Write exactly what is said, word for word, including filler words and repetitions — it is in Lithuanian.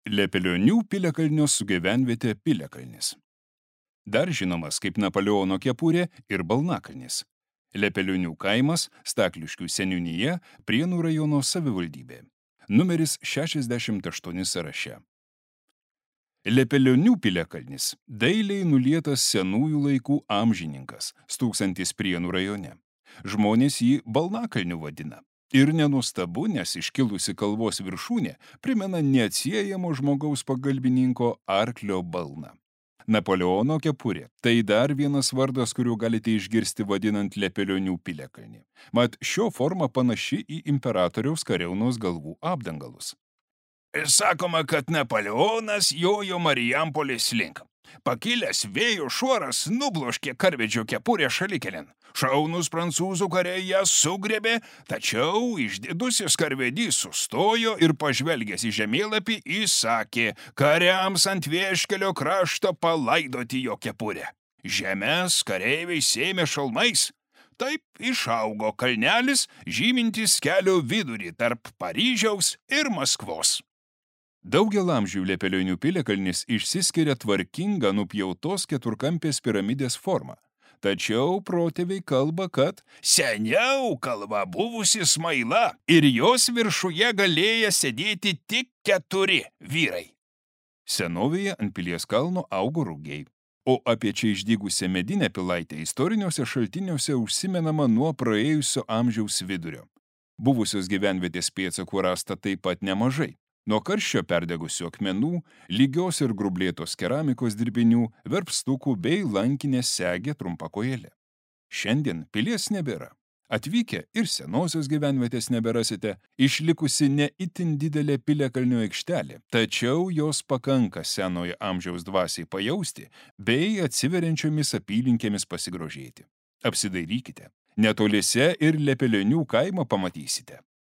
Lepelionių piliakalnio sugyvenvietė Piliakalnis. Dar žinomas kaip Napoleono kepurė ir Balnakalnis. Lepelionių kaimas, Stakliškių seniūnija, Prienų rajono savivaldybė. Numeris šešiasdešimt aštuoni sąraše. Lepelionių piliakalnis dailiai nulietas senųjų laikų amžininkas, stūksantis Prienų rajone. Žmonės jį Balnakalniu vadina. Ir nenuostabu, nes iškilusi kalvos viršūnė primena neatsiejamo žmogaus pagalbininko arklio balną. Napoleono kepurė – tai dar vienas vardas, kuriuo galite išgirsti vadinant Lepelionių piliakalnį. Mat šio forma panaši į imperatoriaus kariaunos galvų apdangalus. Sakoma, kad Napoleonas jojo Marijampolės link. Pakilęs vėjo šuoras nubloškė karvedžio kepurę šalikelin. Šaunus prancūzų kariai ją sugriebė, tačiau išdidusis karvedys sustojo ir pažvelgęs į žemėlapį įsakė kariams ant vieškelio krašto palaidoti jo kepurę. Žemes kareiviai sėmė šalmais. Taip išaugo kalnelis, žymintis kelio vidurį tarp Paryžiaus ir Maskvos. Daugel amžių Lepelionių piliakalnis išsiskiria tvarkinga nupjautos keturkampės piramidės forma. Tačiau protėviai kalba, kad seniau kalva buvusi smaila ir jos viršuje galėję sėdėti tik keturi vyrai. Senovėje ant pilies kalno augo rugiai, o apie čia išdygusią medinę pilaitę istoriniuose šaltiniuose užsimenama nuo praėjusio amžiaus vidurio. Buvusios gyvenvietės pėdsakų rasta taip pat nemažai. Nuo karščio perdegusių akmenų, lygios ir grublėtos keramikos dirbinių, verpstukų bei lankinės segė trumpakojėlė. Šiandien pilies nebėra. Atvykę ir senosios gyvenvietės neberasite, išlikusi ne itin didelė piliakalnio aikštelė, tačiau jos pakanka senojo amžiaus dvasiai pajausti bei atsiveriančiomis apylinkėmis pasigrožėti. Apsidairykite. Netoliese ir Lepelionių kaimą pamatysite.